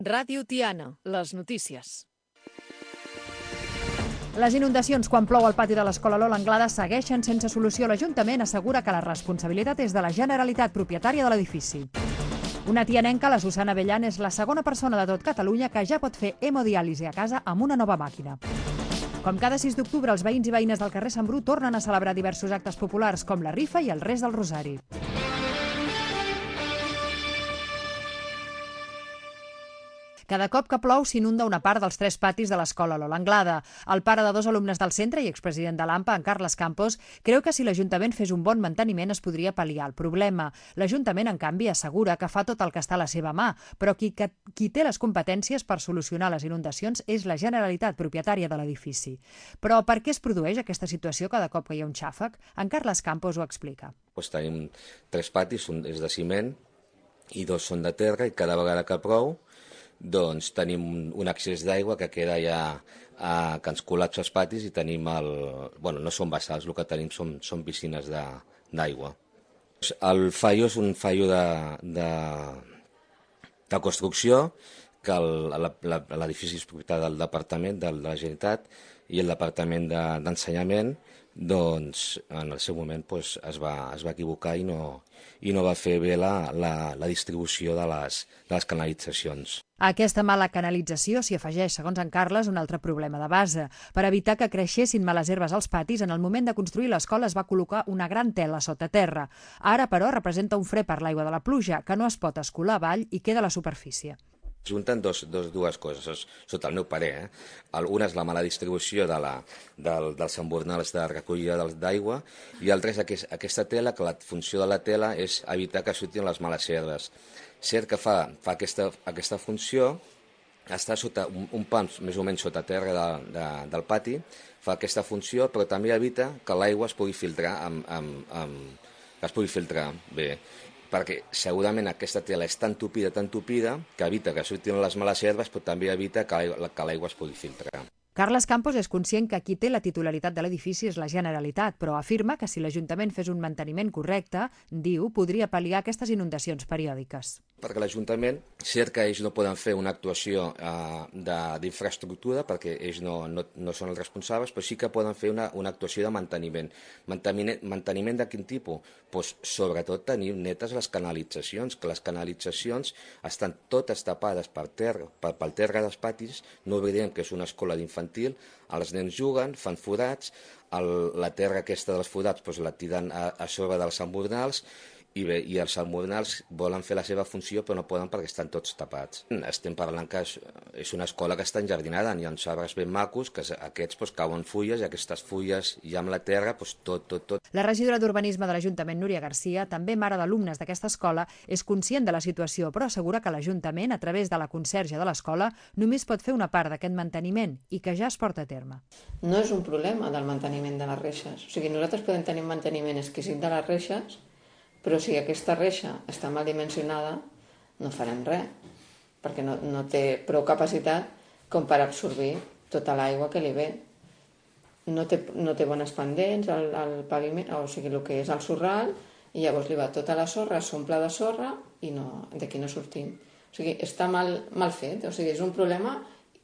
Ràdio Tiana, les notícies. Les inundacions quan plou al pati de l'escola Lola Anglada segueixen sense solució. L'Ajuntament assegura que la responsabilitat és de la Generalitat, propietària de l'edifici. Una tianenca, la Susana Bellán, és la segona persona de tot Catalunya que ja pot fer hemodiàlisi a casa amb una nova màquina. Com cada 6 d'octubre, els veïns i veïnes del carrer Sant Bru tornen a celebrar diversos actes populars, com la rifa i el rest del rosari. Cada cop que plou s'inunda una part dels 3 patis de l'escola Lola Anglada. El pare de 2 alumnes del centre i expresident de l'AMPA, en Carles Campos, creu que si l'Ajuntament fes un bon manteniment es podria pal·liar el problema. L'Ajuntament, en canvi, assegura que fa tot el que està a la seva mà, però qui té les competències per solucionar les inundacions és la Generalitat, propietària de l'edifici. Però per què es produeix aquesta situació cada cop que hi ha un xàfec? En Carles Campos ho explica. Tenim 3 patis, un és de ciment i 2 són de terra, i cada vegada que plou doncs tenim un accés d'aigua que queda ja que ens col·lapsa els patis i tenim no són bassals, el que tenim són piscines d'aigua. El fallo és un fallo de construcció, que l'edifici és propietat del Departament de la Generalitat i el Departament d'Ensenyament doncs en el seu moment es va equivocar i no va fer bé la distribució de les canalitzacions. A aquesta mala canalització s'hi afegeix, segons en Carles, un altre problema de base. Per evitar que creixessin males herbes als patis, en el moment de construir l'escola es va col·locar una gran tela sota terra. Ara, però, representa un fre per l'aigua de la pluja, que no es pot escolar avall i queda a la superfície. Junten dues coses, sota el meu parer. Una és la mala distribució dels embordals de recollida d'aigua i l'altra és aquesta tela, que la funció de la tela és evitar que surtin les males herbes. Cert que fa aquesta funció, està sota un pam més o menys sota terra del pati, fa aquesta funció, però també evita que l'aigua es pugui filtrar bé, perquè segurament aquesta tela és tan tupida, que evita que surtin les males herbes, però també evita que l'aigua es pugui filtrar. Carles Campos és conscient que qui té la titularitat de l'edifici és la Generalitat, però afirma que si l'Ajuntament fes un manteniment correcte, diu, podria pal·liar aquestes inundacions periòdiques. Perquè l'Ajuntament, cert que ells no poden fer una actuació d'infraestructura, perquè ells no són els responsables, però sí que poden fer una actuació de manteniment. Manteniment de quin tipus? Sobretot tenir netes les canalitzacions, que les canalitzacions estan totes tapades pel terra dels patis. No oblidem que és una escola d'infantil, els nens juguen, fan forats, la terra aquesta dels forats la tiren a sobre dels embordals, i els embordals volen fer la seva funció però no poden perquè estan tots tapats. Estem parlant que és una escola que està enjardinada, hi ha uns arbres ben macos, que aquests cauen fulles i aquestes fulles i amb la terra tot. La regidora d'Urbanisme de l'Ajuntament, Núria Garcia, també mare d'alumnes d'aquesta escola, és conscient de la situació, però assegura que l'Ajuntament, a través de la conserge de l'escola, només pot fer una part d'aquest manteniment i que ja es porta a terme. No és un problema del manteniment de les reixes. O sigui, nosaltres podem tenir un manteniment exquisit de les reixes, però si aquesta reixa està mal dimensionada, no farem res, perquè no té prou capacitat com per absorbir tota l'aigua que li ve. No té bones pendents al paviment, o sigui, el que és el sorral, i llavors li va tota la sorra, s'omple de sorra i d'aquí no sortim. O sigui, està mal fet, o sigui, és un problema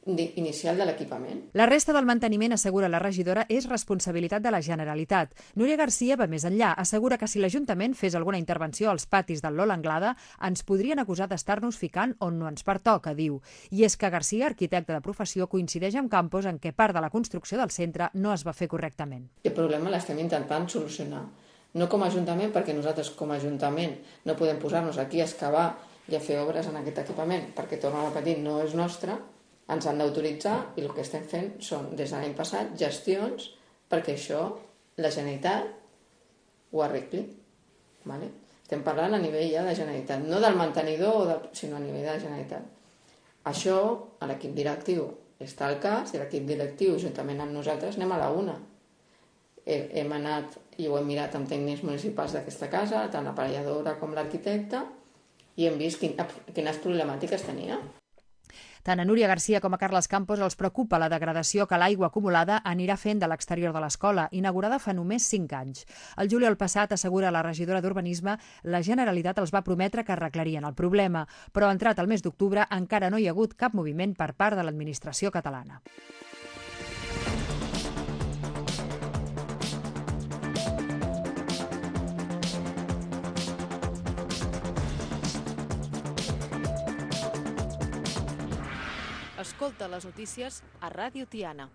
inicial de l'equipament. La resta del manteniment, assegura la regidora, és responsabilitat de la Generalitat. Núria Garcia va més enllà, assegura que si l'Ajuntament fes alguna intervenció als patis del Lola Anglada, ens podrien acusar d'estar-nos ficant on no ens pertoca, diu. I és que Garcia, arquitecte de professió, coincideix amb Campos en què part de la construcció del centre no es va fer correctament. El problema l'estem intentant solucionar. No com a Ajuntament, perquè nosaltres com a Ajuntament no podem posar-nos aquí a excavar i a fer obres en aquest equipament, perquè, torno a repetir, no és nostre. Ens han d'autoritzar i el que estem fent són, des de l'any passat, gestions perquè això la Generalitat ho arregli. Vale? Estem parlant a nivell ja de Generalitat, no del mantenidor, sinó a nivell de la Generalitat. Això, a l'equip directiu està al cas, i l'equip directiu, juntament amb nosaltres, anem a la una. Hem anat i ho hem mirat amb tècnics municipals d'aquesta casa, tant l'aparelladora com l'arquitecte, i hem vist quines problemàtiques tenia. Tant a Núria Garcia com a Carles Campos els preocupa la degradació que l'aigua acumulada anirà fent de l'exterior de l'escola, inaugurada fa només 5 anys. El juliol passat, assegura la regidora d'Urbanisme, la Generalitat els va prometre que arreglarien el problema, però entrat el mes d'octubre encara no hi ha hagut cap moviment per part de l'administració catalana. Escolta les notícies a Ràdio Tiana.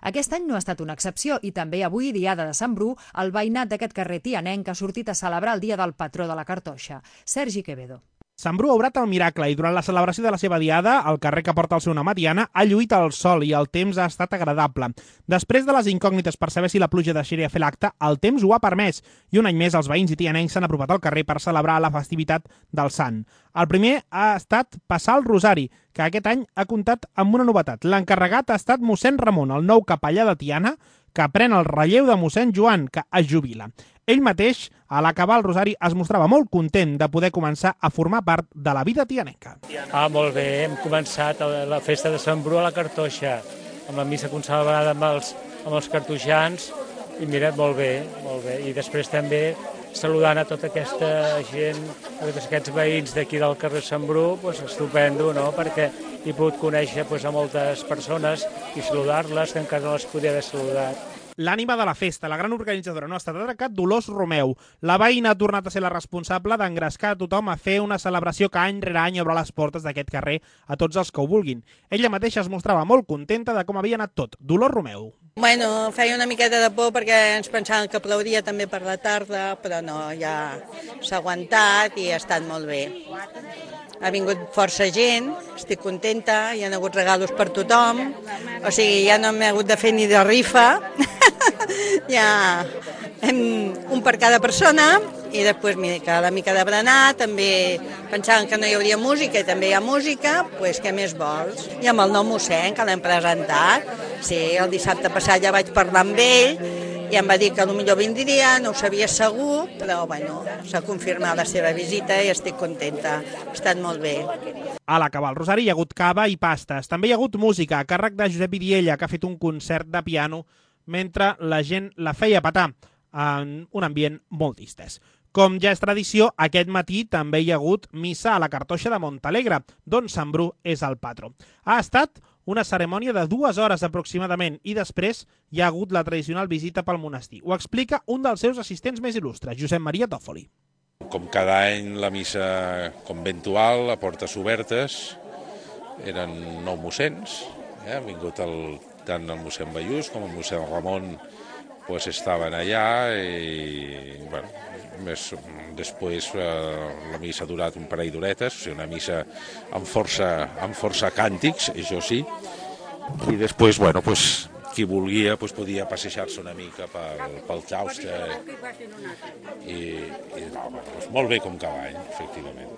Aquest any no ha estat una excepció i també avui, diada de Sant Bru, el veïnat d'aquest carrer tianenc ha sortit a celebrar el dia del patró de la cartoixa, Sergi Quevedo. Sant Bru ha obrat el miracle i durant la celebració de la seva diada, el carrer que porta el seu nom a Tiana ha lluït el sol i el temps ha estat agradable. Després de les incògnites per saber si la pluja deixaria fer l'acte, el temps ho ha permès i un any més els veïns i tianencs s'han apropat al carrer per celebrar la festivitat del Sant. El primer ha estat passar el rosari, que aquest any ha comptat amb una novetat. L'encarregat ha estat mossèn Ramon, el nou capellà de Tiana, que pren el relleu de mossèn Joan, que es jubila. Ell mateix, a l'acabar el rosari, es mostrava molt content de poder començar a formar part de la vida tianenca. Molt bé, hem començat la festa de Sant Bru a la Cartoixa, amb la missa consagrada amb els cartoixans, i mira, molt bé. I després també saludant a tota aquesta gent, a tots aquests veïns d'aquí del carrer Sant Bru, estupendo, no?, perquè he pogut conèixer a moltes persones i saludar-les, que encara no les podia haver saludat. L'ànima de la festa, la gran organitzadora, no ha estat altra que Dolors Romeu. La veïna ha tornat a ser la responsable d'engrescar a tothom a fer una celebració que any rere any obre les portes d'aquest carrer a tots els que ho vulguin. Ella mateixa es mostrava molt contenta de com havia anat tot. Dolors Romeu. Bueno, feia una miqueta de por perquè ens pensàvem que plouria també per la tarda, però no, ja s'ha aguantat i ha estat molt bé. Ha vingut força gent, estic contenta, hi ha hagut regalos per tothom, o sigui, ja no m'he hagut de fer ni de rifa, ja un per cada persona, i després cada mica de berenar, també pensàvem que no hi hauria música i també hi ha música, doncs què més vols? I amb el nou mossèn, que l'hem presentat, sí, el dissabte passat ja vaig parlar amb ell, i em va dir que potser vindria, no ho sabia segur, però bueno, s'ha confirmat la seva visita i estic contenta, ha estat molt bé. A l'acabar el rosari hi ha hagut cava i pastes. També hi ha hagut música a càrrec de Josep Vidiella, que ha fet un concert de piano mentre la gent la feia petar en un ambient molt distès. Com ja és tradició, aquest matí també hi ha hagut missa a la Cartoixa de Montalegre, d'on Sant Bru és el patró. Ha estat una cerimònia de 2 hores aproximadament i després hi ha hagut la tradicional visita pel monestir. Ho explica un dels seus assistents més il·lustres, Josep Maria Tòfoli. Com cada any, la missa conventual, a portes obertes, eren 9 mossens. Ha vingut tant el mossèn Ballús com el mossèn Ramon estaven allà i després la missa ha durat un parell d'horetes, o sigui, una missa amb força càntics, això sí, i després, qui volia podia passejar-se una mica pel claustre i molt bé com cada any, efectivament.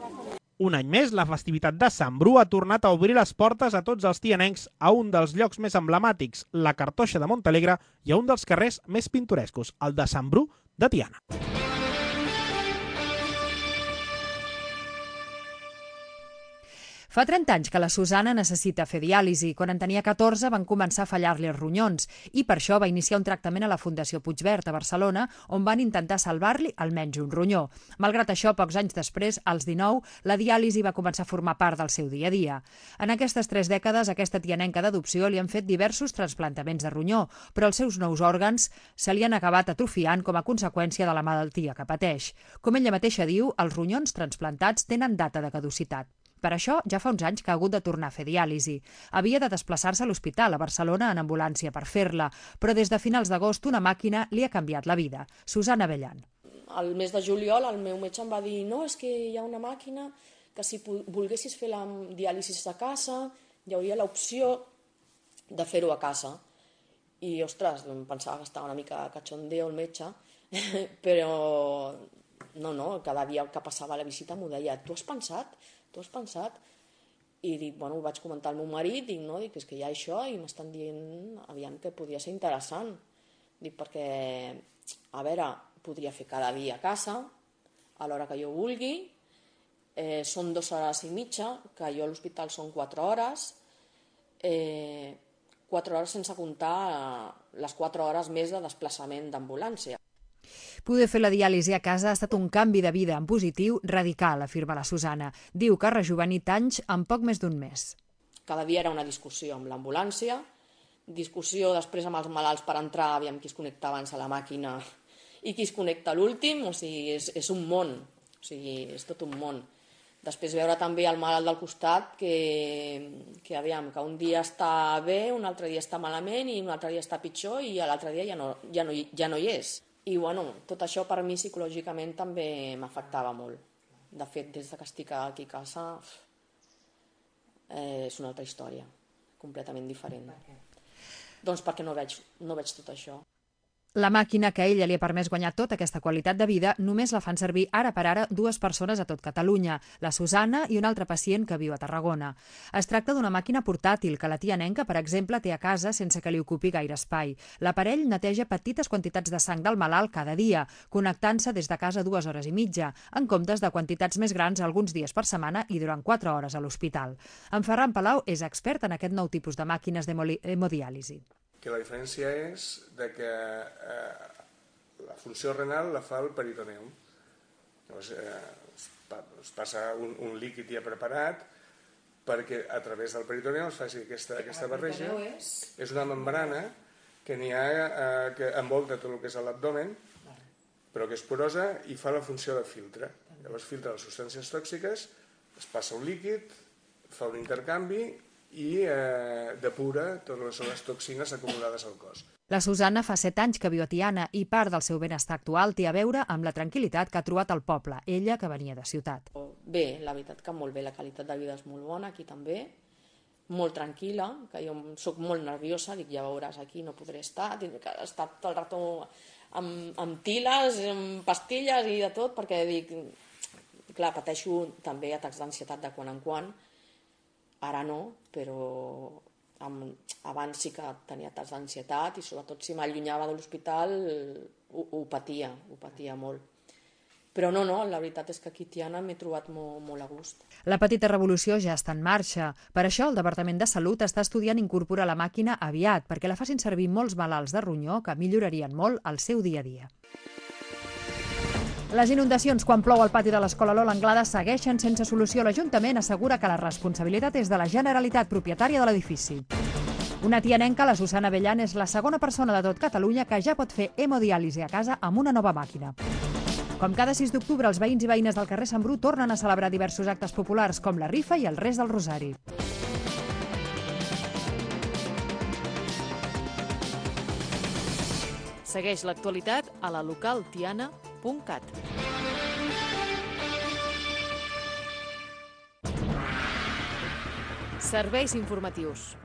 Un any més, la festivitat de Sant Bru ha tornat a obrir les portes a tots els tianencs a un dels llocs més emblemàtics, la Cartoixa de Montalegre, i a un dels carrers més pintorescos, el de Sant Bru de Tiana. Fa 30 anys que la Susana necessita fer diàlisi. Quan en tenia 14 van començar a fallar-li els ronyons i per això va iniciar un tractament a la Fundació Puigverd a Barcelona, on van intentar salvar-li almenys un ronyó. Malgrat això, pocs anys després, als 19, la diàlisi va començar a formar part del seu dia a dia. En aquestes 3 dècades, aquesta tianenca d'adopció li han fet diversos trasplantaments de ronyó, però els seus nous òrgans se li han acabat atrofiant com a conseqüència de la malaltia que pateix. Com ella mateixa diu, els ronyons transplantats tenen data de caducitat. Per això, ja fa uns anys que ha hagut de tornar a fer diàlisi. Havia de desplaçar-se a l'hospital a Barcelona en ambulància per fer-la, però des de finals d'agost una màquina li ha canviat la vida. Susana Abellan. Al mes de juliol el meu metge em va dir no, és que hi ha una màquina que si volguessis fer la diàlisi a casa hi hauria l'opció de fer-ho a casa. I, ostres, em pensava que estava una mica cachondeo el metge, però no, cada dia que passava la visita m'ho deia, tu has pensat? I dic, ho vaig comentar al meu marit, dic, és que hi ha això i m'estan dient, aviam, que podia ser interessant. Dic, perquè, a veure, podria fer cada dia a casa, a l'hora que jo vulgui, són 2 hores i mitja, que jo a l'hospital són 4 hores, 4 hores sense comptar les 4 hores més de desplaçament d'ambulància. Poder fer la diàlisi a casa ha estat un canvi de vida en positiu radical, afirma la Susana. Diu que ha rejovenit anys en poc més d'un mes. Cada dia era una discussió amb l'ambulància, discussió després amb els malalts per entrar, aviam qui es connecta abans a la màquina i qui es connecta a l'últim, o sigui, és un món, o sigui, és tot un món. Després veure també el malalt del costat que aviam, que un dia està bé, un altre dia està malament i un altre dia està pitjor i l'altre dia ja no hi és. I bueno, tot això per mi psicològicament també m'afectava molt. De fet, des que estic aquí a casa és una altra història, completament diferent. Doncs perquè no veig tot això. La màquina que a ella li ha permès guanyar tota aquesta qualitat de vida només la fan servir ara per ara 2 persones a tot Catalunya, la Susana i un altre pacient que viu a Tarragona. Es tracta d'una màquina portàtil que la tia Nenca, per exemple, té a casa sense que li ocupi gaire espai. L'aparell neteja petites quantitats de sang del malalt cada dia, connectant-se des de casa 2 hores i mitja, en comptes de quantitats més grans alguns dies per setmana i durant 4 hores a l'hospital. En Ferran Palau és expert en aquest nou tipus de màquines d'hemodiàlisi. Que la diferència és de que la funció renal la fa el peritoneum. Llavors, es passa un líquid ja preparat perquè a través del peritoneum es faci aquesta barreja. És una membrana que n'hi ha que envolta tot el que és l'abdomen, però que és porosa i fa la funció de filtre. Llavors filtra les substàncies tòxiques, es passa un líquid, fa un intercanvi i depura totes les toxines acumulades al cos. La Susana fa 7 anys que viu a Tiana i part del seu benestar actual té a veure amb la tranquil·litat que ha trobat al poble, ella que venia de ciutat. Bé, la veritat que molt bé, la qualitat de vida és molt bona aquí també, molt tranquil·la, que jo soc molt nerviosa, dic ja veuràs aquí no podré estar, tindré que estar tot el rato amb tiles, amb pastilles i de tot, perquè dic, clar, pateixo també atacs d'ansietat de quan en quan. Ara no, però abans sí que tenia atacs d'ansietat i sobretot si m'allunyava de l'hospital ho patia molt. Però no, la veritat és que aquí a Tiana m'he trobat molt a gust. La petita revolució ja està en marxa. Per això el Departament de Salut està estudiant incorporar la màquina aviat perquè la facin servir molts malalts de ronyó que millorarien molt el seu dia a dia. Les inundacions quan plou al pati de l'escola Lola Anglada segueixen sense solució. L'Ajuntament assegura que la responsabilitat és de la Generalitat, propietària de l'edifici. Una tianenca, la Susana Bellan, és la segona persona de tot Catalunya que ja pot fer hemodiàlisi a casa amb una nova màquina. Com cada 6 d'octubre, els veïns i veïnes del carrer Sant Bru tornen a celebrar diversos actes populars, com la rifa i el rest del rosari. Segueix l'actualitat a la localtiana.cat. Serveis informatius.